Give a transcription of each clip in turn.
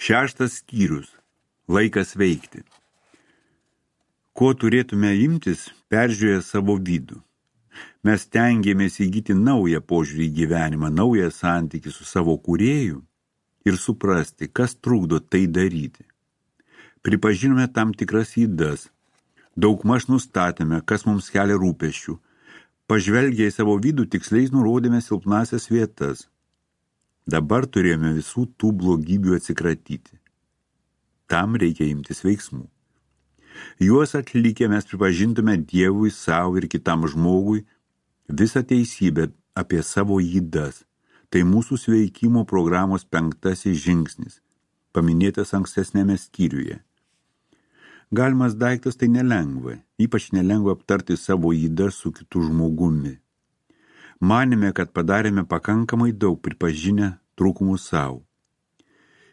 6 skyrius. Laikas veikti. Ko turėtume imtis, peržiūrėję savo vidų? Mes stengiamės įgyti naują požiūrį į gyvenimą, naują santykį su savo kūrėju ir suprasti, kas trukdo tai daryti. Pripažinome tam tikras ydas, daugmaž nustatėme, kas mums kelia rūpesčių, pažvelgę į savo vidų tiksliai nurodėme silpnasias vietas. Dabar turėjome visų tų blogybių atsikratyti. Tam reikia imtis veiksmų. Juos atlikę mes pripažintume Dievui, savo ir kitam žmogui visą teisybę apie savo ydas. Tai mūsų sveikimo programos 5 žingsnis, paminėtas ankstesnėme skyriuje. Galimas daiktas tai nelengva, ypač nelengva aptarti savo ydas su kitu žmogumi. Manėme, kad padarėme pakankamai daug pripažinę trūkumus savo.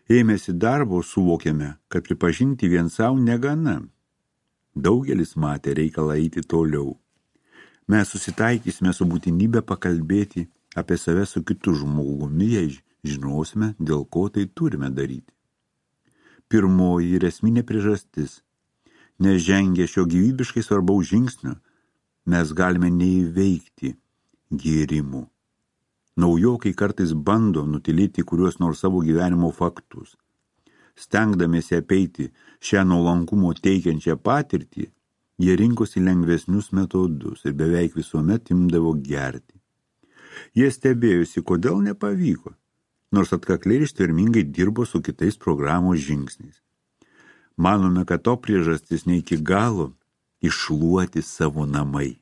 Ėmėsi darbo, suvokėme, kad pripažinti vien savo negana. Daugelis matė reikalą eiti toliau. Mes susitaikysime su būtinybė pakalbėti apie save su kitu žmogumi, jei žinosime, dėl ko tai turime daryti. Pirmoji ir esminė priežastis. Nežengę šio gyvybiškai svarbaus žingsnio, mes galime neįveikti gėrimų. Naujokai kartais bando nutylėti kuriuos nors savo gyvenimo faktus. Stengdamiesi apeiti šią nuolankumo teikiančią patirtį, jie rinkosi lengvesnius metodus ir beveik visuomet imdavo gerti. Jie stebėjusi, kodėl nepavyko, nors atkakliai ir ištvermingai dirbo su kitais programos žingsniais. Manome, kad to priežastis ne iki galo iššluoti savo namai.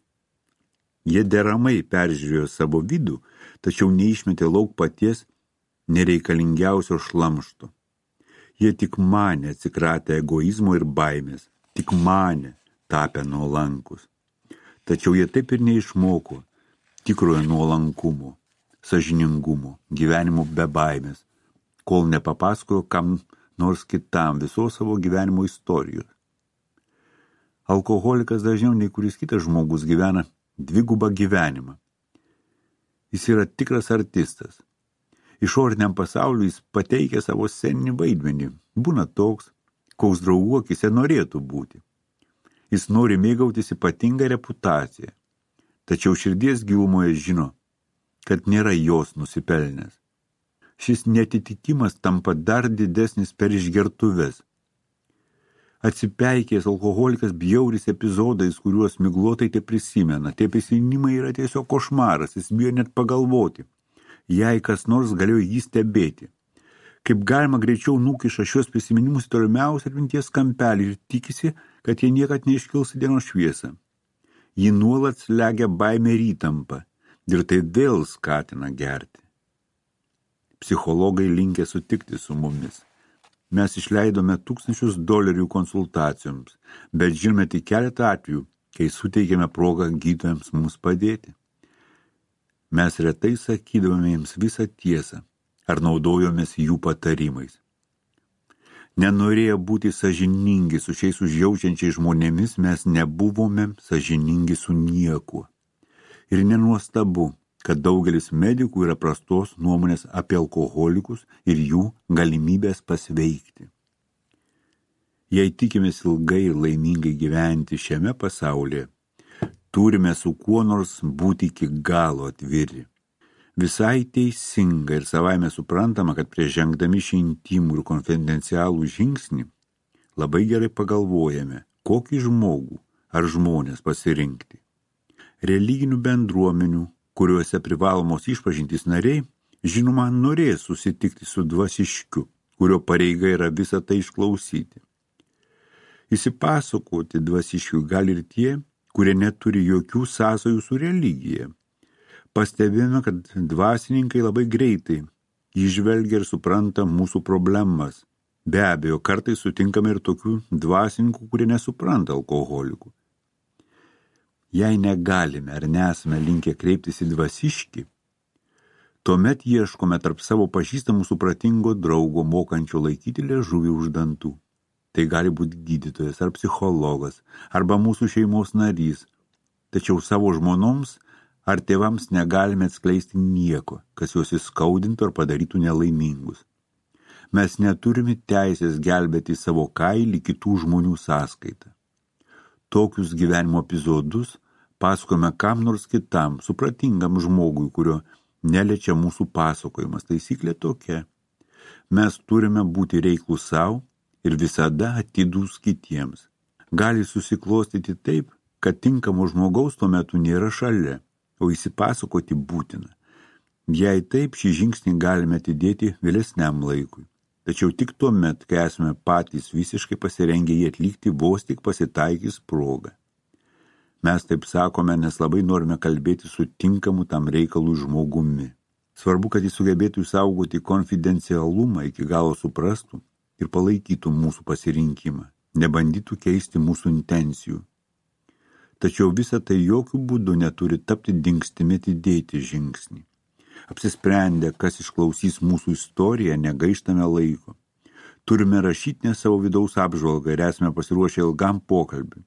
Jie deramai peržiūrėjo savo vidų, tačiau neišmetė lauk paties nereikalingiausio šlamšto. Jie tik manė atsikratę egoizmo ir baimės, tik manė tapę nuolankus. Tačiau jie taip ir neišmoko tikrojo nuolankumo, sąžiningumo, gyvenimo be baimės, kol nepapasakojo kam nors kitam visos savo gyvenimo istorijos. Alkoholikas dažniau nei kuris kitas žmogus gyvena dvigubą gyvenimą. Jis yra tikras artistas. Išoriniam pasauliu jis pateikia savo sceninį vaidmenį, būna toks, koks draugų akise norėtų būti. Jis nori mėgautis ypatingą reputaciją, tačiau širdies gilumoje žino, kad nėra jos nusipelnęs. Šis neatitikimas tampa dar didesnis per išgertuves. Atsipeikėjęs alkoholikas bjauris epizodais, kuriuos miglotai te prisimena. Tie prisiminimai yra tiesiog košmaras, jis bijo net pagalvoti, jei kas nors galėjo jį stebėti. Kaip galima greičiau nukiša šios prisiminimus tolimiausią atminties kampelį ir tikisi, kad jie niekad neiškils į dienos šviesą. Jį nuolat slegia baimė ir įtampa ir tai vėl skatina gerti. Psichologai linkę sutikti su mumis. Mes išleidome $1000 konsultacijoms, bet žinome tik keletą atvejų, kai suteikėme progą gydytojams mums padėti. Mes retai sakydavome jiems visą tiesą ar naudojomės jų patarimais. Nenorėję būti sąžiningi su šiais užjaučiančiais žmonėmis, mes nebuvome sąžiningi su niekuo. Ir nenuostabu, kad daugelis medikų yra prastos nuomonės apie alkoholikus ir jų galimybės pasveikti. Jei tikimės ilgai ir laimingai gyventi šiame pasaulyje, turime su kuo nors būti iki galo atviri. Visai teisinga ir savaime suprantama, kad prieš žengdami šį intimų ir konfidencialų žingsnį labai gerai pagalvojame, kokį žmogų ar žmonės pasirinkti. Religinių bendruomenių, kuriuose privalomos išpažintys nariai, žinoma, norės susitikti su dvasiškiu, kurio pareiga yra visą tai išklausyti. Įsipasakoti dvasiškiu gali ir tie, kurie neturi jokių sąsajų su religija. Pastebėjome, kad dvasininkai labai greitai įžvelgia ir supranta mūsų problemas. Be abejo, kartais sutinkame ir tokių dvasininkų, kurie nesupranta alkoholikų. Jei negalime ar nesame linkę kreiptis į dvasiškį, tuomet ieškome tarp savo pažįstamų supratingo draugo, mokančio laikyti liežuvį už dantų. Tai gali būti gydytojas ar psichologas, arba mūsų šeimos narys. Tačiau savo žmonoms ar tėvams negalime atskleisti nieko, kas juos įskaudintų ar padarytų nelaimingus. Mes neturime teisės gelbėti savo kailį kitų žmonių sąskaitą. Tokius gyvenimo epizodus pasakome kam nors kitam, supratingam žmogui, kurio neliečia mūsų pasakojimas. Taisyklė tokia. Mes turime būti reiklūs savo ir visada atidūs kitiems. Gali susiklostyti taip, kad tinkamo žmogaus tuo metu nėra šalia, o įsipasakoti būtina. Jei taip, šį žingsnį galime atidėti vėlesniam laikui. Tačiau tik tuo met, kai esame patys visiškai pasirengę jį atlikti, vos tik pasitaikys proga. Mes taip sakome, nes labai norime kalbėti su tinkamu tam reikalui žmogumi. Svarbu, kad jis sugebėtų išsaugoti konfidencialumą, iki galo suprastų ir palaikytų mūsų pasirinkimą, nebandytų keisti mūsų intencijų. Tačiau visa tai jokių būdų neturi tapti dingstimi atidėti žingsnį. Apsisprendę, kas išklausys mūsų istoriją, negaištame laiko. Turime rašytinę savo vidaus apžvalgą ir esame pasiruošę ilgam pokalbiui.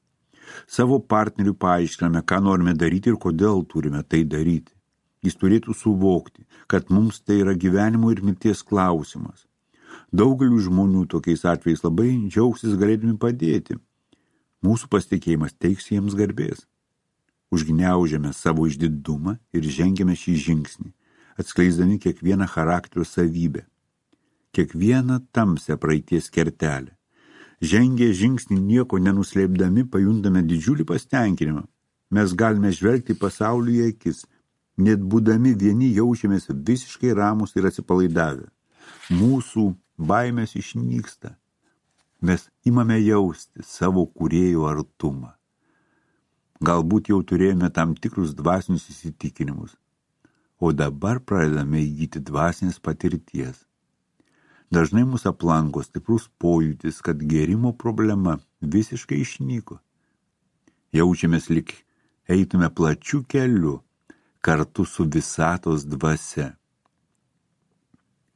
Savo partneriui paaiškiname, ką norime daryti ir kodėl turime tai daryti. Jis turėtų suvokti, kad mums tai yra gyvenimo ir mirties klausimas. Daugeliu žmonių tokiais atvejais labai džiaugsis galėdami padėti. Mūsų pasitikėjimas teiks jiems garbės. Užgniaužiame savo išdidumą ir žengiame šį žingsnį, atskleisdami kiekvieną charakterio savybę, kiekvieną tamsią praeities kertelę. Žengę žingsnį nieko nenuslėpdami pajuntame didžiulį pasitenkinimą. Mes galime žvelgti pasaulį į akis, net būdami vieni jaučiamės visiškai ramūs ir atsipalaidavę. Mūsų baimės išnyksta. Mes imame jausti savo kūrėjo artumą. Galbūt jau turėjome tam tikrus dvasinius įsitikinimus, o dabar pradedame įgyti dvasinės patirties. Dažnai mus aplanko stiprus pojūtis, kad gėrimo problema visiškai išnyko. Jaučiamės lyg eitume plačiu keliu kartu su visatos dvasia.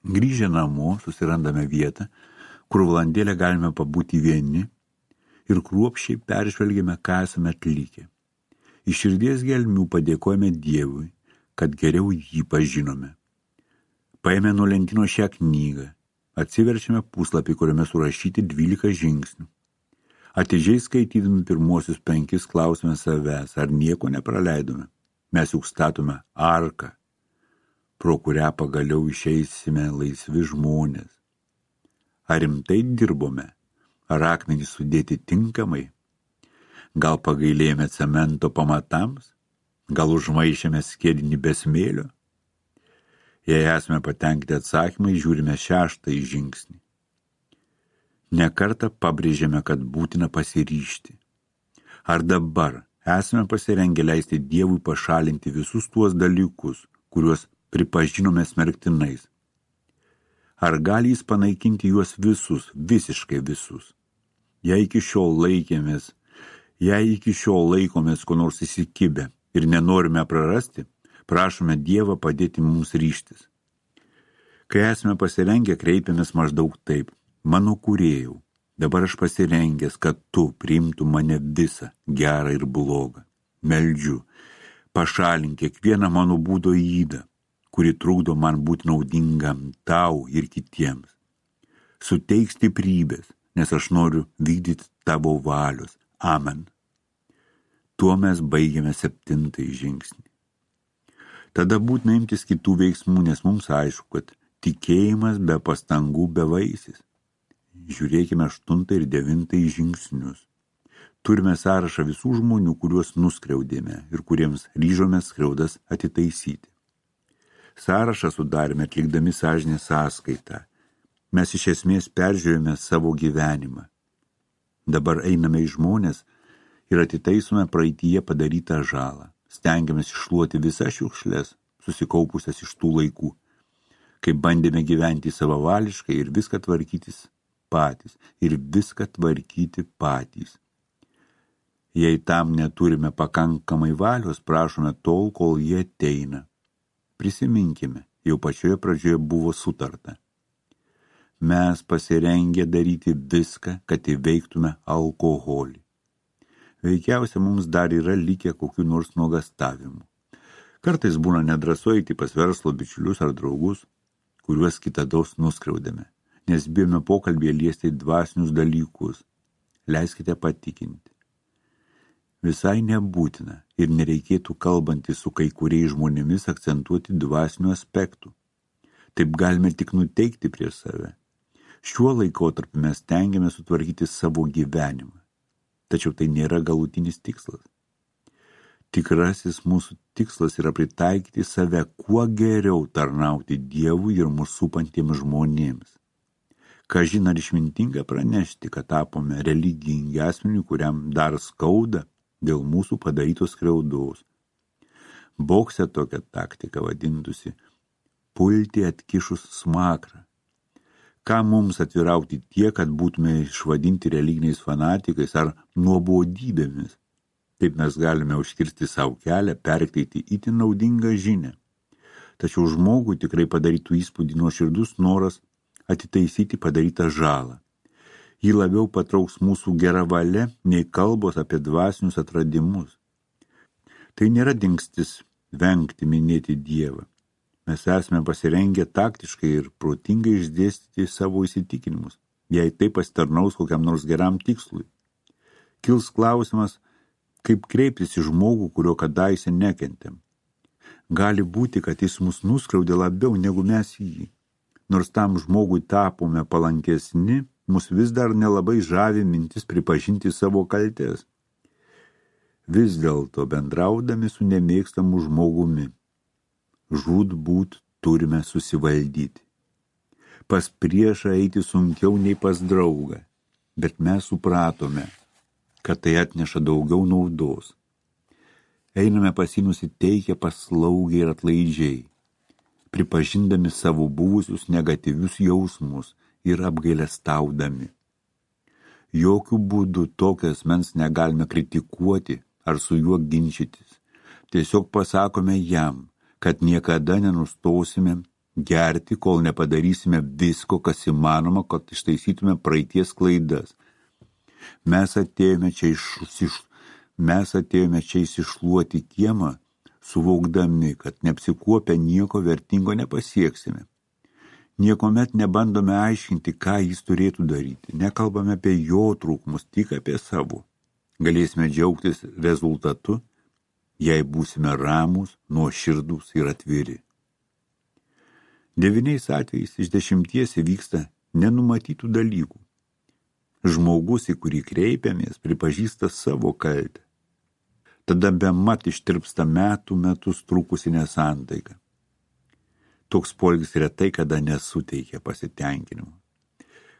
Grįžę namo susirandame vietą, kur valandėlę galime pabūti vieni ir kruopščiai peržvelgiame, ką esame atlikę. Iš širdies gelmių padėkojame Dievui, kad geriau jį pažinome. Paėmė nuo lentino šią knygą, atsiverčiame puslapį, kuriame surašyti 12 žingsnių. Atidžiai skaitydami pirmuosius 5 klausime savęs, ar nieko nepraleidome. Mes juk statome arką, pro kurią pagaliau išeisime laisvi žmonės. Ar rimtai dirbome? Ar akmenys sudėti tinkamai? Gal pagailėjome cemento pamatams? Gal užmaišėme skiedinį be smėlio? Jei esame patenkinti atsakymai, žiūrime 6 žingsnį. Nekartą pabrėžėme, kad būtina pasiryžti. Ar dabar esame pasirengę leisti Dievui pašalinti visus tuos dalykus, kuriuos pripažinome smerktinais? Ar gali jis panaikinti juos visus, visiškai visus? Jei iki šiol laikomės ko nors įsikibę ir nenorime prarasti, prašome Dievą padėti mums ryžtis. Kai esame pasirengę, kreipiamės maždaug taip: mano kūrėjau, dabar aš pasirengęs, kad tu priimtų mane visą, gerą ir blogą. Meldžiu, pašalink kiekvieną mano būdo ydą, kuri trukdo man būti naudingam tau ir kitiems. Suteik stiprybės, nes aš noriu vykdyti tavo valios. Amen. Tuo mes baigiame 7 žingsnį. Tada būtina imtis kitų veiksmų, nes mums aišku, kad tikėjimas be pastangų bevaisis. Žiūrėkime 8 ir 9 žingsnius. Turime sąrašą visų žmonių, kuriuos nuskriaudėme ir kuriems ryžomės skriaudas atitaisyti. Sąrašą sudarėme atlikdami sąžinės sąskaitą. Mes iš esmės peržiūrėjome savo gyvenimą. Dabar einame į žmonės ir atitaisome praeityje padarytą žalą. Stengiamės iššluoti visas šiukšles, susikaupusias iš tų laikų, kai bandėme gyventi savavališkai ir viską tvarkyti patys. Jei tam neturime pakankamai valios, prašome tol, kol jie ateina. Prisiminkime, jau pačioje pradžioje buvo sutarta. Mes pasirengę daryti viską, kad įveiktume alkoholį. Veikiausia, mums dar yra likę kokių nors nuogastavimų. Kartais būna nedrąsu eiti pas verslo bičiulius ar draugus, kuriuos kitados nuskriaudėme. nes bijome pokalbėje liesti dvasinius dalykus. Leiskite patikinti. Visai nebūtina ir nereikėtų kalbantys su kai kuriais žmonėmis akcentuoti dvasinių aspektų. Taip galime tik nuteikti prieš save. Šiuo laikotarpiu mes stengiame sutvarkyti savo gyvenimą. Tačiau tai nėra galutinis tikslas. Tikrasis mūsų tikslas yra pritaikyti save kuo geriau tarnauti Dievui ir mūsų supantiems žmonėms. Kažin ar išmintinga pranešti, kad tapome religingi asmeniui, kuriam dar skauda dėl mūsų padarytos skriaudos. Bokse tokia taktika vadintųsi pulti atkišus smakrą. Ką mums atvirauti tiek, kad būtume išvadinti religiniais fanatikais ar nuobodybėmis? Taip mes galime užkirsti savo kelią, perteikti itin naudingą žinią. Tačiau žmogui tikrai padarytų įspūdį nuoširdus noras atitaisyti padarytą žalą. Jį labiau patrauks mūsų gera valia nei kalbos apie dvasinius atradimus. Tai nėra dingstis vengti minėti Dievą. Mes esame pasirengę taktiškai ir protingai išdėstyti savo įsitikinimus, jei tai pasitarnaus kokiam nors geram tikslui. Kils klausimas, kaip kreiptis į žmogų, kurio kadaise nekentėm. Gali būti, kad jis mus nuskriaudė labiau negu mes jį. Nors tam žmogui tapome palankesni, mus vis dar nelabai žavi mintis pripažinti savo kaltės. Vis dėlto bendraudami su nemėgstamu žmogumi, žūtbūt turime susivaldyti. Pas priešą eiti sunkiau nei pas draugą, bet mes supratome, kad tai atneša daugiau naudos. Einame pas jį nusiteikę paslaugiai ir atlaidžiai, pripažindami savo buvusius negatyvius jausmus ir apgailestaudami. Jokių būdų tokio asmens negalime kritikuoti ar su juo ginčytis. Tiesiog pasakome jam, kad niekada nenustosime gerti, kol nepadarysime visko, kas įmanoma, kad ištaisytume praeities klaidas. Mes atėjome čia išsišluoti kiemą, suvokdami, kad neapsikuopę nieko vertingo nepasieksime. Niekomet nebandome aiškinti, ką jis turėtų daryti. Nekalbame apie jo trūkumus, tik apie savo. Galėsime džiaugtis rezultatu, jei būsime ramūs, nuoširdūs ir atviri. 9 atvejais iš 10 įvyksta nenumatytų dalykų. Žmogus, į kurį kreipiamės, pripažįsta savo kaltę. Tada bemat ištirpsta metus trukusi nesantaika. Toks poelgis retai kada nesuteikia pasitenkinimo.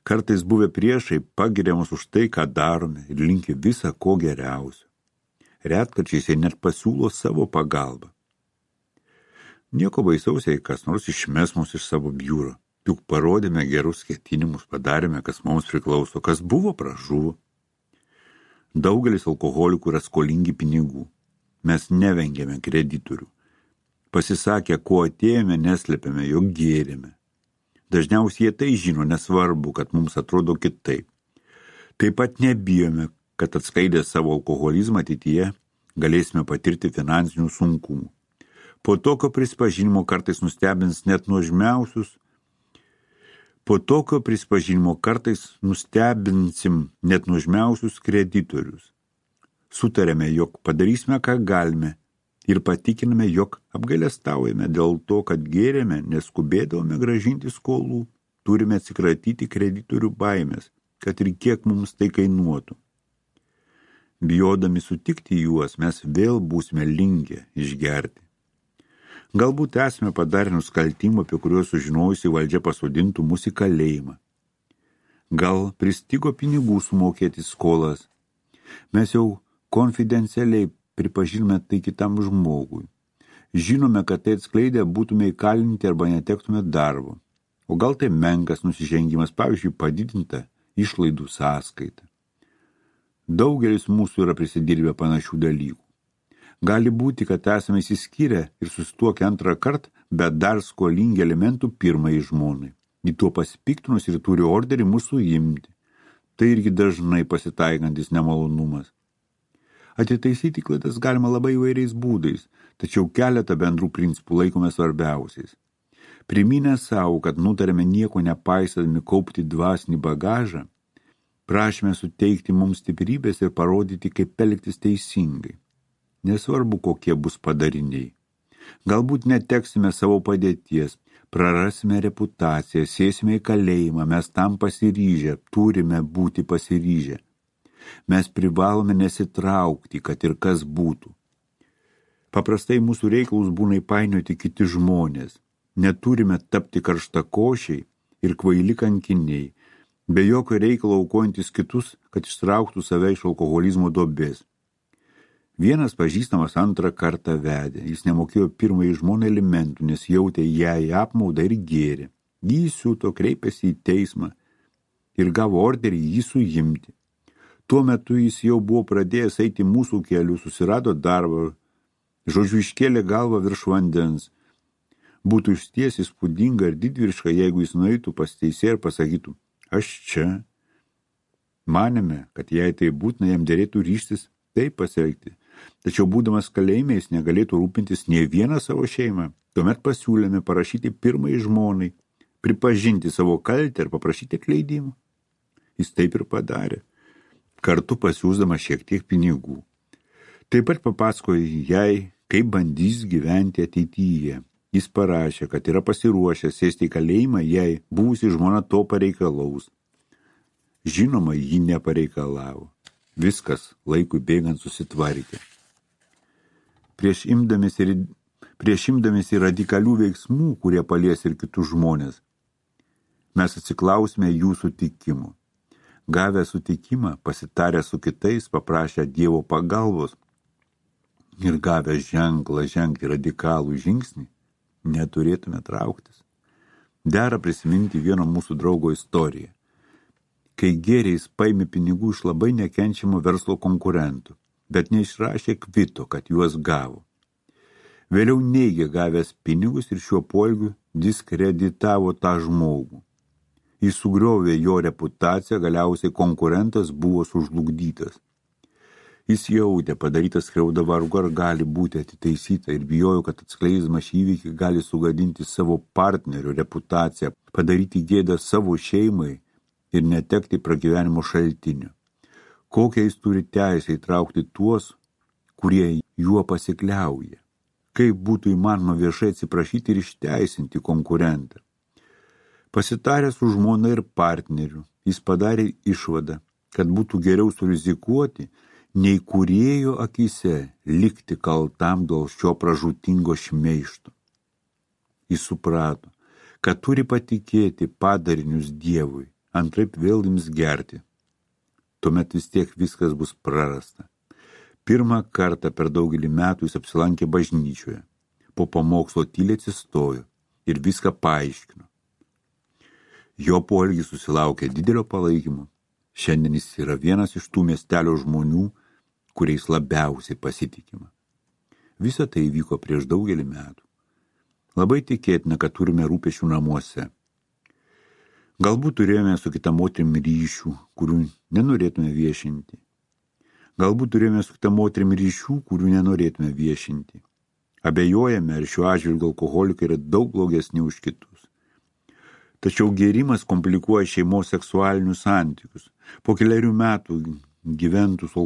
Kartais buvę priešai pagiria mus už tai, ką darome ir linki visą ko geriausio. Retkarčiais jie net pasiūlo savo pagalbą. Nieko baisaus, jei kas nors išmes mus iš savo biuro. Juk parodėme gerus ketinimus, padarėme, kas mums priklauso, kas buvo, pražuvo. Daugelis alkoholikų yra skolingi pinigų. Mes nevengėme kreditorių. Pasisakę, ko atėjome, neslėpėme, jog gėrėme. Dažniausiai jie tai žino, nesvarbu, kad mums atrodo kitaip. Taip pat nebijome, kad atskaidę savo alkoholizmą ateityje galėsime patirti finansinių sunkumų. Po tokio prisipažinimo kartais nustebins net nuožmiausius. Nustebinsim net nuožmiausius kreditorius. Sutarėme, jog padarysime, ką galime ir patikiname, jog apgailestaujame dėl to, kad gėrėme, neskubėdavome gražinti skolų. Turime atsikratyti kreditorių baimės, kad ir kiek mums tai kainuotų. Bijodami sutikti juos, mes vėl būsime linkę išgerti. Galbūt esame padarę nusikaltimų, apie kuriuos sužinojusi valdžia pasodintų mus į kalėjimą. Gal pristigo pinigų sumokėti skolas. Mes jau konfidencialiai pripažinome tai kitam žmogui. Žinome, kad tai atskleidę būtume įkalinti arba netektume darbo. O gal tai menkas nusižengimas, pavyzdžiui, padidinta išlaidų sąskaita. Daugelis mūsų yra prisidirbę panašių dalykų. Gali būti, kad esame įsiskyrę ir susituokę antrą kartą, bet dar skolingi elementų pirmai žmonai. Į tuo pasipiktinus ir turi orderį mūsų imti. Tai irgi dažnai pasitaikantis nemalonumas. Atitaisyti klaidas galima labai įvairiais būdais, tačiau keletą bendrų principų laikome svarbiausiais. Priminę savo, kad nutarėme nieko nepaisydami kaupti dvasinį bagažą, prašome suteikti mums stiprybės ir parodyti, kaip elgtis teisingai. Nesvarbu, kokie bus padariniai. Galbūt neteksime savo padėties, prarasime reputaciją, sėsime į kalėjimą, mes tam pasiryžę, turime būti pasiryžę. Mes privalome nesitraukti, kad ir kas būtų. Paprastai mūsų reikalus būna įpainioti kiti žmonės. Neturime tapti karštakošiai ir kvaili kankiniai, be jokio reikalo aukojantis kitus, kad ištrauktų save iš alkoholizmo duobės. Vienas pažįstamas antrą kartą vedė. Jis nemokėjo pirmąjį žmoną alimentų, nes jautė jai apmaudą ir gėrė. Jį įsiuto, kreipėsi į teismą ir gavo orderį jį suimti. Tuo metu jis jau buvo pradėjęs eiti mūsų keliu, susirado darbą, žodžiu iškėlė galvą virš vandens. Būtų išties įspūdinga ir didvyriška, jeigu jis nueitų pas teisėją ir pasakytų, aš čia. Manėme, kad jei tai būtina, jam derėtų ryžtis taip pasielgti. Tačiau būdamas kalėjime jis negalėtų rūpintis nė vieną savo šeimą. Tuomet pasiūlėme parašyti pirmai žmonai, pripažinti savo kaltę ir paprašyti atleidimo. Jis taip ir padarė, kartu pasiūsdamas šiek tiek pinigų. Taip pat papasakojo jai, kaip bandys gyventi ateityje. Jis parašė, kad yra pasiruošęs sėsti į kalėjimą, jei buvusi žmona to pareikalaus. Žinoma, ji nepareikalavo. Viskas laikui bėgant susitvarkė. Prieš imdamiesi radikalių veiksmų, kurie palies ir kitus žmonės, mes atsiklausime jų sutikimų. Gavę sutikimą, pasitarę su kitais, paprašę Dievo pagalbos ir gavę ženklą žengti radikalų žingsnį, neturėtume trauktis. Dera prisiminti vieno mūsų draugo istoriją. Kai gėrė, jis paėmė pinigų iš labai nekenčiamo verslo konkurentų, bet neišrašė kvito, kad juos gavo. Vėliau neigė gavęs pinigus ir šiuo poelgiu diskreditavo tą žmogų. Jis sugriovė jo reputaciją, galiausiai konkurentas buvo sužlugdytas. Jis jautė padarytą skriaudą, vargu ar gali būti atitaisyta ir bijojo, kad atskleisdamas šį įvykį gali sugadinti savo partnerio reputaciją, padaryti gėdą savo šeimai ir netekti pragyvenimo šaltinio. Kokią jis turi teisę įtraukti tuos, kurie juo pasikliauja? Kaip būtų įmanoma viešai atsiprašyti ir išteisinti konkurentą? Pasitaręs su žmona ir partneriu, jis padarė išvadą, kad būtų geriau surizikuoti, nei kūrėjo akyse likti kaltam dėl šio pražūtingo šmeižto. Jis suprato, kad turi patikėti padarinius Dievui, antraip vėl ims gerti. Tuomet vis tiek viskas bus prarasta. Pirmą kartą per daugelį metų jis apsilankė bažnyčioje. Po pamokslo tyliai atsistojo ir viską paaiškino. Jo poelgis susilaukė didelio palaikymo. Šiandien jis yra vienas iš tų miestelio žmonių, kuriais labiausiai pasitikima. Visa tai įvyko prieš daugelį metų. Labai tikėtina, kad turime rūpesčių namuose. Galbūt turėjome su kita moterim ryšių, kurių nenorėtume viešinti. Galbūt turėjome su kita moterim ryšių, kurių nenorėtume viešinti. Abejojame, ar šiuo atžvilgiu alkoholikai yra daug blogesni už kitus. Tačiau gėrimas komplikuoja šeimos seksualinius santykius. Po kelerių metų gyventų su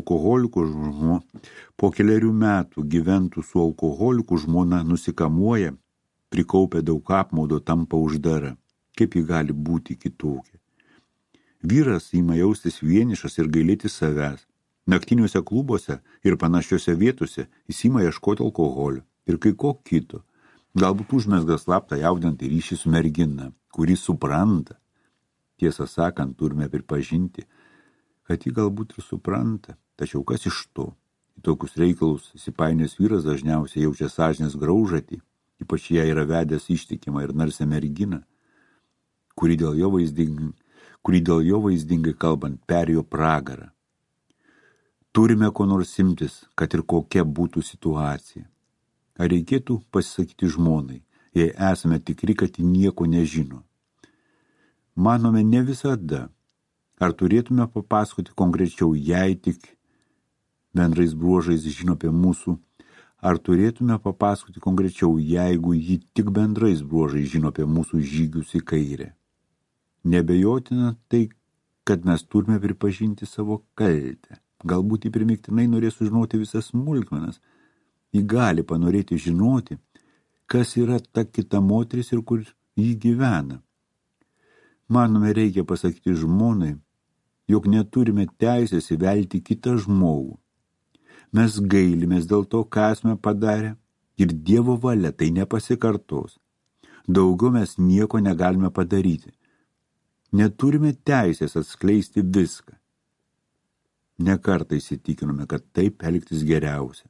alkoholiku žmona nusikamuoja, prikaupia daug apmaudo, tampa uždara. Kaip ji gali būti kitokia? Vyras ima jaustis vienišas ir gailėti savęs. Naktiniuose klubuose ir panašiose vietose jis ima ieškoti alkoholio ir kai ko kito. Galbūt užmezga slaptą jaudinantį ryšį su mergina, kuri supranta. Tiesą sakant, turime pripažinti, kad ji galbūt ir supranta, tačiau kas iš to? Į tokius reikalus įsipainiojęs vyras dažniausiai jaučia sąžinės graužatį, ypač jei yra vedęs ištikimą ir narsią merginą, kuri dėl jo vaizdingai kalbant perėjo pragarą. Turime ko nors imtis, kad ir kokia būtų situacija. Ar reikėtų pasisakyti žmonai, jei esame tikri, kad ji nieko nežino? Manome ne visada. Ar turėtume papasakoti konkrečiau, jei tik bendrais bruožais žino apie mūsų Ar turėtume papasakoti konkrečiau, jeigu ji tik bendrais bruožais žino apie mūsų žygius į kairę? Nebejotina tai, kad mes turime pripažinti savo kaltę. Galbūt ji primiktinai norės sužinoti visas smulkmenas. Ji gali panorėti žinoti, kas yra ta kita moteris ir kur ji gyvena. Manome, reikia pasakyti žmonai, jog neturime teisės įvelti kitą žmogų. Mes gailimės dėl to, ką esame padarę, ir Dievo valia tai nepasikartos. Daugiau mes nieko negalime padaryti. Neturime teisės atskleisti viską. Nekartą įsitikinome, kad taip elgtis geriausia.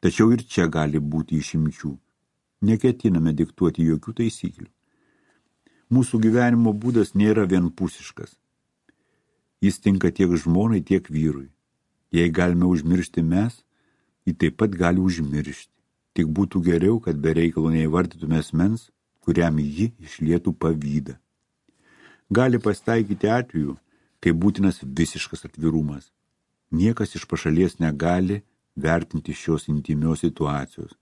Tačiau ir čia gali būti išimčių. Neketiname diktuoti jokių taisyklių. Mūsų gyvenimo būdas nėra vienpusiškas. Jis tinka tiek žmonai, tiek vyrui. Jei galime užmiršti mes, ji taip pat gali užmiršti. Tik būtų geriau, kad be reikalo neįvardytume asmens, kuriam ji išlietų pavydą. Gali pasitaikyti atvejų, kai būtinas visiškas atvirumas. Niekas iš pašalies negali vertinti šios intimios situacijos.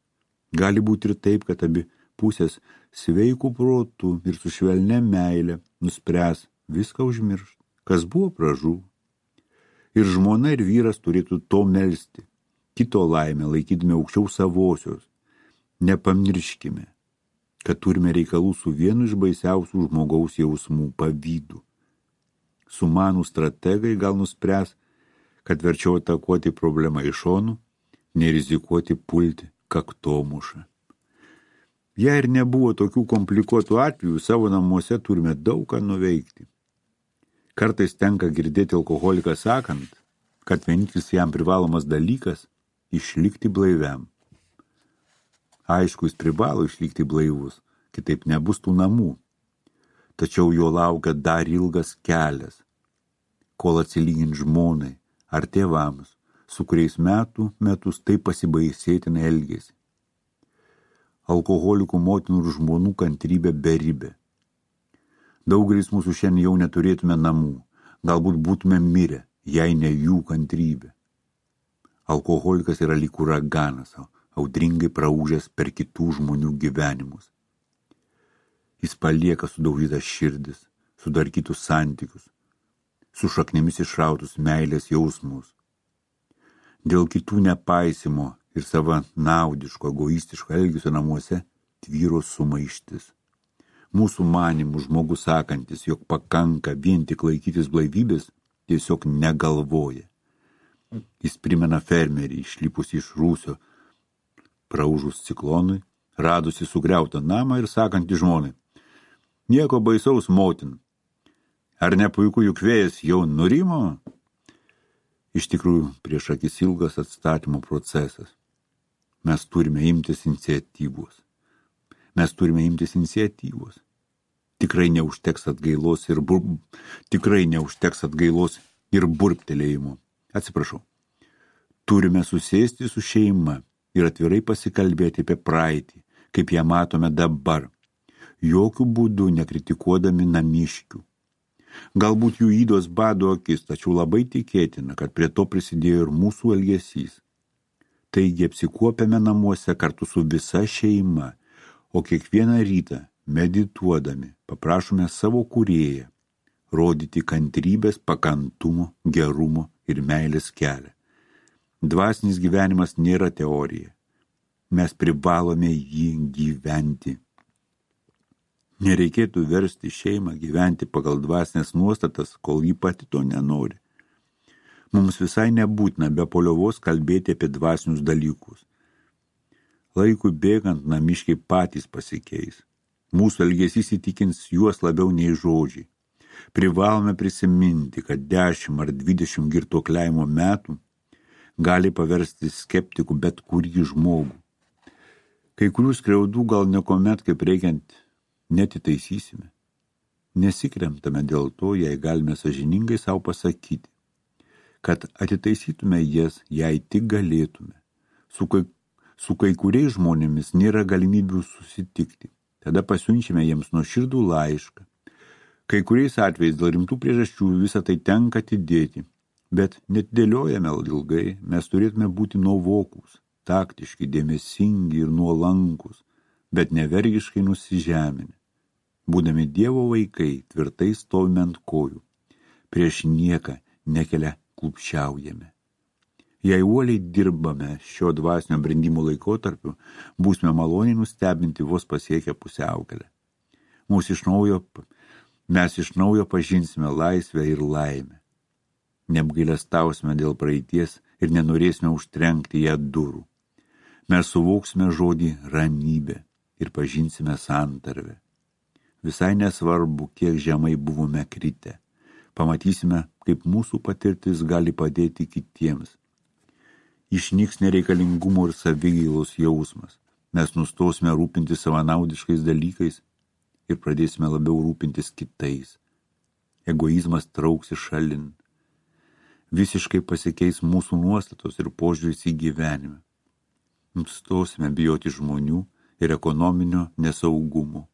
Gali būti ir taip, kad abi pusės sveikų protų ir su švelnia meile nuspręs viską užmiršti, kas buvo pražuvo. Ir žmona ir vyras turėtų to melsti, kito laimę laikydami aukščiau savosios. Nepamirškime, kad turime reikalų su vienu iš baisiausių žmogaus jausmų – pavydu. Sumanų strategai gal nuspręs, kad verčiau atakuoti problemą iš šonų, nerizikuoti pulti kaktomušą. Jei ir nebuvo tokių komplikuotų atvejų, savo namuose turime daug ką nuveikti. Kartais tenka girdėti alkoholiką sakant, kad vienintelis jam privalomas dalykas – išlikti blaiviam. Aišku, jis privalo išlikti blaivus, kitaip nebus tų namų. Tačiau jo laukia dar ilgas kelias, kol atsilygint žmonai ar tėvams, su kuriais metus taip pasibaisėtinai elgėsi. Alkoholikų motinų ir žmonų kantrybė beribė. Daugelis mūsų šiandien jau neturėtume namų, galbūt būtume mirę, jei ne jų kantrybė. Alkoholikas yra lyg uraganas, audringai praūžęs per kitų žmonių gyvenimus. Jis palieka sudaužytas širdis, sudarkytus santykius, su šaknimis išrautus meilės jausmus. Dėl kitų nepaisimo ir savanaudiško, egoistiško elgesio namuose tvyro sumaištis. Mūsų manimų žmogus sakantis, jog pakanka vien tik laikytis blaivybės, tiesiog negalvoja. Jis primena fermerį, išlipusį iš rūsio, praūžus ciklonui, radusi sugriautą namą ir sakantį žmonai: nieko baisaus, motin. Ar ne puiku, juk vėjas jau nurimo? Iš tikrųjų, prieš akis ilgas atstatymo procesas. Mes turime imtis iniciatyvos. Tikrai neužteks atgailos ir burptelėjimo. Atsiprašau. Turime susėsti su šeima ir atvirai pasikalbėti apie praeitį, kaip ją matome dabar, jokių būdų nekritikuodami namiškių. Galbūt jų ydos bado akis, tačiau labai tikėtina, kad prie to prisidėjo ir mūsų elgesys. Taigi apsikuopiame namuose kartu su visa šeima, o kiekvieną rytą, medituodami, paprašome savo kūrėją rodyti kantrybės, pakantumo, gerumo ir meilės kelią. Dvasinis gyvenimas nėra teorija. Mes privalome jį gyventi. Nereikėtų versti šeimą gyventi pagal dvasinės nuostatas, kol ji pati to nenori. Mums visai nebūtina be poliovos kalbėti apie dvasinius dalykus. Laikui bėgant namiškiai patys pasikeis. Mūsų elgesys įtikins juos labiau nei žodžiai. Privalome prisiminti, kad 10 ar 20 girtuokliavimo metų gali paversti skeptikų bet kurį žmogų. Kai kurių skriaudų gal niekuomet kaip reikiant netitaisysime. Nesikremtame dėl to, jei galime sąžiningai savo pasakyti, kad atitaisytume jas, jei tik galėtume. Su kai kuriais žmonėmis nėra galimybių susitikti. Tada pasiunčiame jiems nuoširdų laišką. Kai kuriais atvejais dėl rimtų priežasčių visą tai tenka atidėti, bet netidėliojame ilgai, mes turėtume būti nuovokūs, taktiški, dėmesingi ir nuolankus, bet nevergiškai nusižeminę. Būdami Dievo vaikai, tvirtai stovime ant kojų, prieš nieką nekelia klupščiaujame. Jei uoliai dirbame šio dvasinio brendimo laikotarpiu, būsime maloniai nustebinti vos pasiekę pusiaukelę. Mes iš naujo pažinsime laisvę ir laimę. Neapgailestausime dėl praeities ir nenorėsime užtrenkti ją durų. Mes suvoksime žodį ramybė ir pažinsime santarvę. Visai nesvarbu, kiek žemai buvome kritę. Pamatysime, kaip mūsų patirtis gali padėti kitiems. Išnyks nereikalingumo ir savigailos jausmas. Mes nustosime rūpintis savanaudiškais dalykais ir pradėsime labiau rūpintis kitais. Egoizmas trauksis šalin. Visiškai pasikeis mūsų nuostatos ir požiūris į gyvenimą. Nustosime bijoti žmonių ir ekonominio nesaugumo.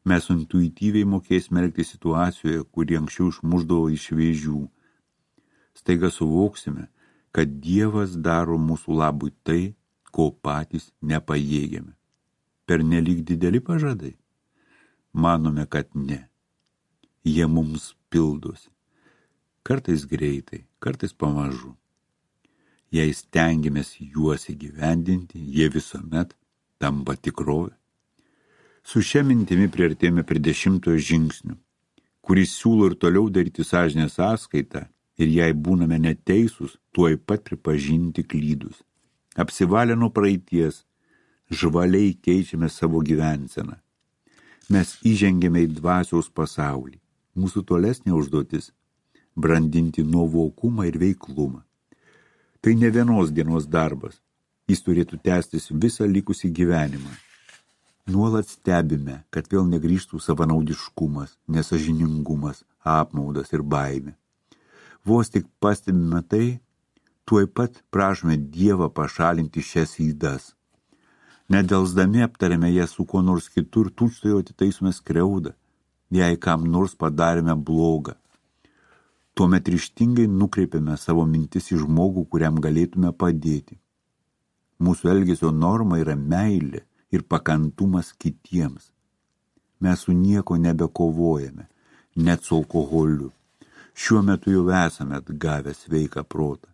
Mes intuityviai mokėsime elgtis situacijoje, kuri anksčiau išmušdavo iš vėžių. Staiga suvoksime, kad Dievas daro mūsų labui tai, ko patys nepajėgiame. Pernelyg dideli pažadai? Manome, kad ne. Jie mums pildosi. Kartais greitai, kartais pamažu. Jei stengiamės juos įgyvendinti, jie visuomet tampa tikrovė. Su šia mintimi priartėjome prie 10 žingsnių, kuris siūlo ir toliau daryti sąžinės sąskaitą ir jei būname neteisūs, tuoj pat pripažinti klydus. Apsivalę nuo praeities, žvaliai keičiame savo gyvenseną. Mes įžengėme į dvasiaus pasaulį. Mūsų tolesnė užduotis – brandinti nuovokumą ir veiklumą. Tai ne vienos dienos darbas. Jis turėtų tęstis visą likusį gyvenimą. Nuolat stebime, kad vėl negrįžtų savanaudiškumas, nesąžiningumas, apmaudas ir baimė. Vos tik pastebime tai, tuoj pat prašome Dievą pašalinti šias ydas. Nedelsdami aptarėme jas su kuo nors kitur, tučtuojau atitaisome skriaudą, jei kam nors padarėme blogą. Tuomet ryžtingai nukreipiame savo mintis į žmogų, kuriam galėtume padėti. Mūsų elgesio norma yra meilė ir pakantumas kitiems. Mes su nieko nebekovojame, net su alkoholiu. Šiuo metu jau esame atgavę sveiką protą.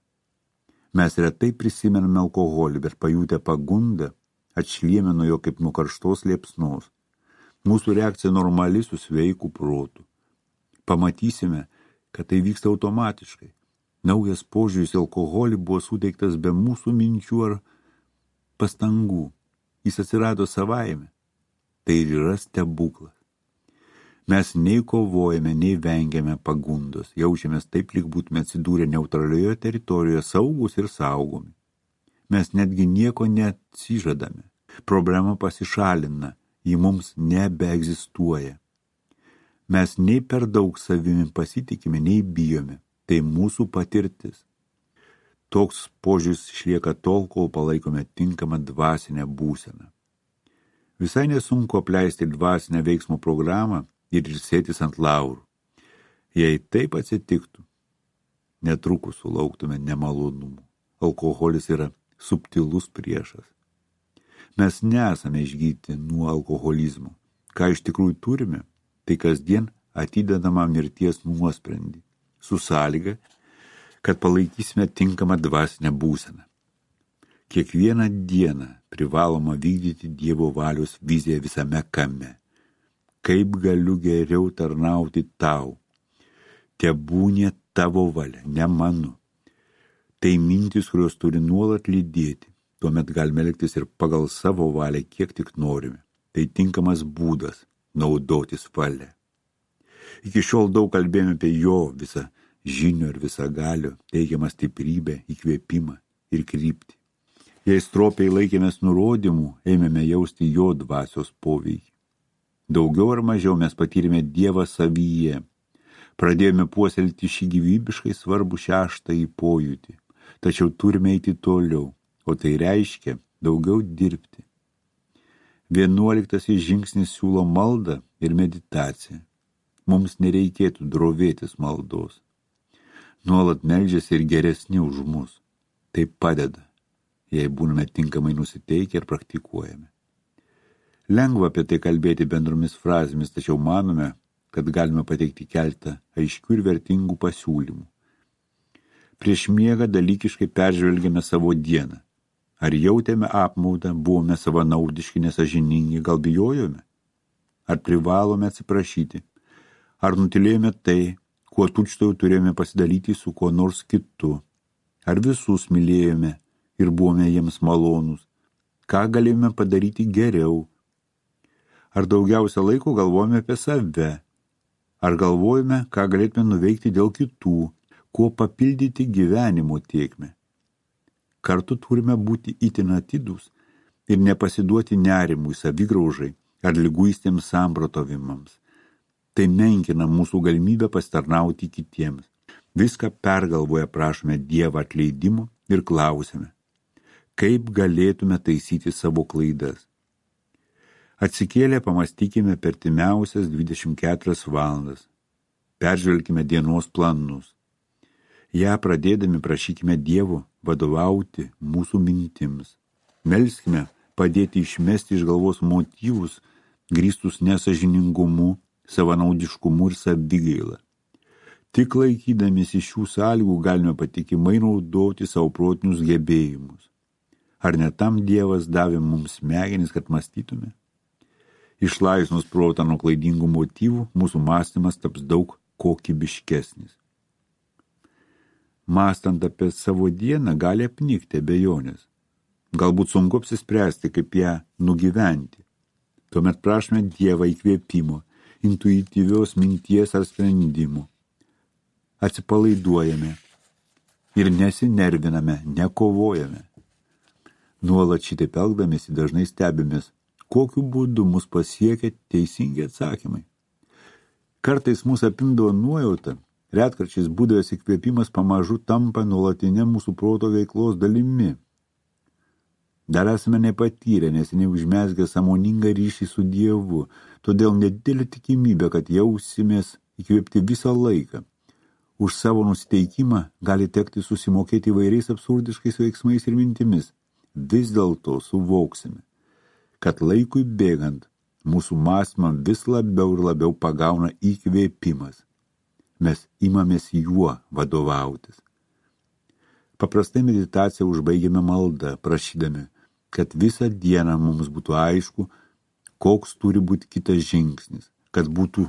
Mes retai prisimename alkoholį, bet pajutę pagundą, atšlieme nuo jo kaip nuo karštos liepsnos. Mūsų reakcija normali su sveiku protu. Pamatysime, kad tai vyksta automatiškai. Naujas požiūris į alkoholį buvo suteiktas be mūsų minčių ar pastangų. Jis atsirado savaime. Tai ir yra stebuklas. Mes nei kovojame, nei vengiame pagundos. Jaučiamės taip, lyg būtume atsidūrę neutralioje teritorijoje, saugus ir saugomi. Mes netgi nieko neatsižadame. Problema pasišalina, ji mums nebeegzistuoja. Mes nei per daug savimi pasitikime, nei bijome. Tai mūsų patirtis. Toks požiūris išlieka tol, kol palaikome tinkamą dvasinę būseną. Visai nesunku apleisti dvasinę veiksmo programą ir ilsėtis ant laurų. Jei taip atsitiktų, netrukus sulauktume nemalonumų. Alkoholis yra subtilus priešas. Mes nesame išgydyti nuo alkoholizmo. Ką iš tikrųjų turime, tai kasdien atidedamą mirties nuosprendį, su sąlyga, kad palaikysime tinkamą dvasinę būseną. Kiekvieną dieną privaloma vykdyti Dievo valios viziją visame kame. Kaip galiu geriau tarnauti tau? Tebūnie tavo valia, ne mano. Tai mintys, kurios turi nuolat lydėti. Tuomet galime elgtis ir pagal savo valią, kiek tik norime. Tai tinkamas būdas naudotis valia. Iki šiol daug kalbėjome apie jo visą žinių ir visą galio, teigiamą stiprybę, įkvėpimą ir kryptį. Jei stropiai laikėmės nurodymų, ėmėme jausti jo dvasios poveikį. Daugiau ar mažiau mes patyrėme Dievą savyje. Pradėjome puoselėti šį gyvybiškai svarbų 6. pojūtį. Tačiau turime eiti toliau, o tai reiškia daugiau dirbti. 11 žingsnis siūlo maldą ir meditaciją. Mums nereikėtų drovėtis maldos. Nuolat meldžiasi ir geresni už mus. Tai padeda. jei būname tinkamai nusiteikę ir praktikuojame. Lengva apie tai kalbėti bendromis frazėmis, tačiau manome, kad galime pateikti keletą aiškių ir vertingų pasiūlymų. Prieš miegą dalykiškai peržvelgėme savo dieną. Ar jautėme apmaudą, buvome savanaudiški, nesąžiningi, gal bijojome? Ar privalome atsiprašyti? Ar nutilėjome tai, kuo tučtuojau turėjome pasidalyti su kuo nors kitu? Ar visus mylėjome ir buvome jiems malonūs? Ką galėjome padaryti geriau? Ar daugiausia laiko galvojame apie save? Ar galvojame, ką galėtume nuveikti dėl kitų, kuo papildyti gyvenimo tėkmę? Kartu turime būti itin atidūs ir nepasiduoti nerimui, savigraužai ar liguistiems samprotavimams. Tai menkina mūsų galimybę pasitarnauti kitiems. Viską pergalvoję prašome Dievą atleidimo ir klausime, kaip galėtume taisyti savo klaidas. Atsikėlę pamastykime per artimiausias 24 valandas. Peržvelkime dienos planus. Ja pradėdami prašykime Dievo vadovauti mūsų mintims. Melskime padėti išmesti iš galvos motyvus, grįstus nesąžiningumu, savanaudiškumu ir savigaila. Tik laikydamiesi šių sąlygų galime patikimai naudoti savo protinius gebėjimus. Ar ne tam Dievas davė mums smegenis, kad mąstytume? Išlaisvinus protą nuo klaidingų motyvų, mūsų mąstymas taps daug kokybiškesnis. Mąstant apie savo dieną gali apnikti abejonės. Galbūt sunku apsispręsti, kaip ją nugyventi. Tuomet prašome Dievą įkvėpimo, intuityvios minties ar sprendimų. Atsipalaiduojame ir nesinerviname, nekovojame. Nuolat šitaip elgdamiesi dažnai stebimės, kokiu būdu mus pasiekia teisingi atsakymai. Kartais mus apimdavo nuojauta, retkarčiais būdavęs įkvėpimas pamažu tampa nuolatinė mūsų proto veiklos dalimi. Dar esame nepatyrę, nes neužmezgę sąmoningą ryšį su Dievu, todėl nedidelė tikimybė, kad jausimės įkvėpti visą laiką. Už savo nusiteikimą gali tekti susimokėti įvairiais absurdiškais veiksmais ir mintimis. Vis dėlto suvoksime, kad laikui bėgant mūsų mąstymą vis labiau ir labiau pagauna įkvėpimas. Mes imamės juo vadovautis. Paprastai meditaciją užbaigiame maldą, prašydami, kad visą dieną mums būtų aišku, koks turi būti kitas žingsnis, kad būtų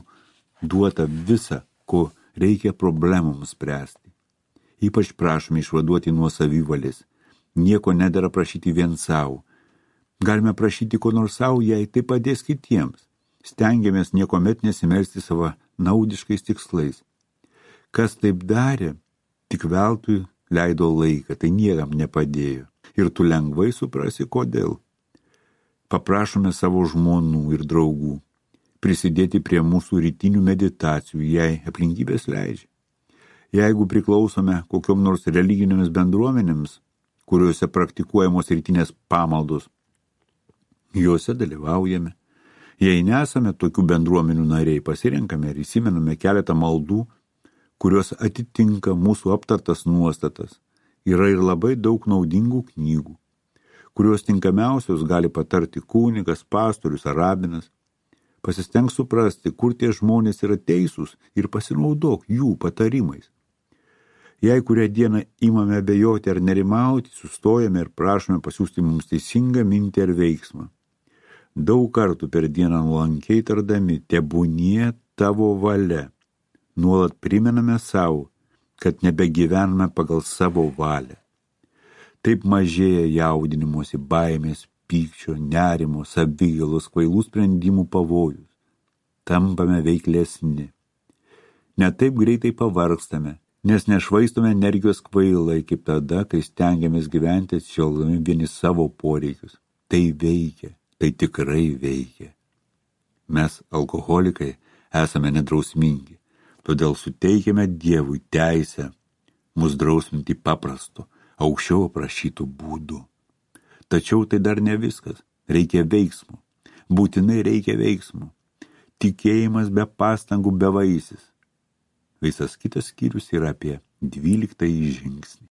duota visa, ko reikia problemoms spręsti. Ypač prašome išvaduoti nuo savivalės. Nieko nedera prašyti vien savo. Galime prašyti ko nors savo, jei tai padės kitiems. Stengiamės niekomet nesimelsti savo naudiškais tikslais. Kas taip darė, tik veltui leido laiką, tai niekam nepadėjo. Ir tu lengvai suprasi, kodėl. Paprašome savo žmonų ir draugų prisidėti prie mūsų rytinių meditacijų, jei aplinkybės leidžia. Jeigu priklausome kokiom nors religinėmis bendruomenėms, kuriuose praktikuojamos rytinės pamaldos, juose dalyvaujame. Jei nesame tokių bendruomenių nariai, pasirenkame ir įsimename keletą maldų, kurios atitinka mūsų aptartas nuostatas. Yra ir labai daug naudingų knygų, kurios tinkamiausios gali patarti kunigas, pastorius ar rabinas. Pasistenk suprasti, kur tie žmonės yra teisūs ir pasinaudok jų patarimais. Jei kurią dieną imame abejoti ar nerimauti, sustojame ir prašome pasiųsti mums teisingą mintį ar veiksmą. Daug kartų per dieną nuolankiai tardami, tebūnie tavo valia. Nuolat primename savo, kad nebegyvename pagal savo valią. Taip mažėja jaudinimuose, baimės, pykčio, nerimo, savigailos, kvailų sprendimų pavojus. Tampame veiklesni. Ne taip greitai pavargstame, nes nešvaistome energijos kvailai, kaip tada, kai stengiamės gyventi atsižvelgdami vieni savo poreikius. Tai veikia, tai tikrai veikia. Mes, alkoholikai, esame nedrausmingi. Todėl suteikėme Dievui teisę mus drausminti paprastu, aukščiau aprašytų būdų. Tačiau tai dar ne viskas. Reikia veiksmų. Būtinai reikia veiksmų. Tikėjimas be pastangų bevaisis. Visas kitas skyrius yra apie 12 žingsnį.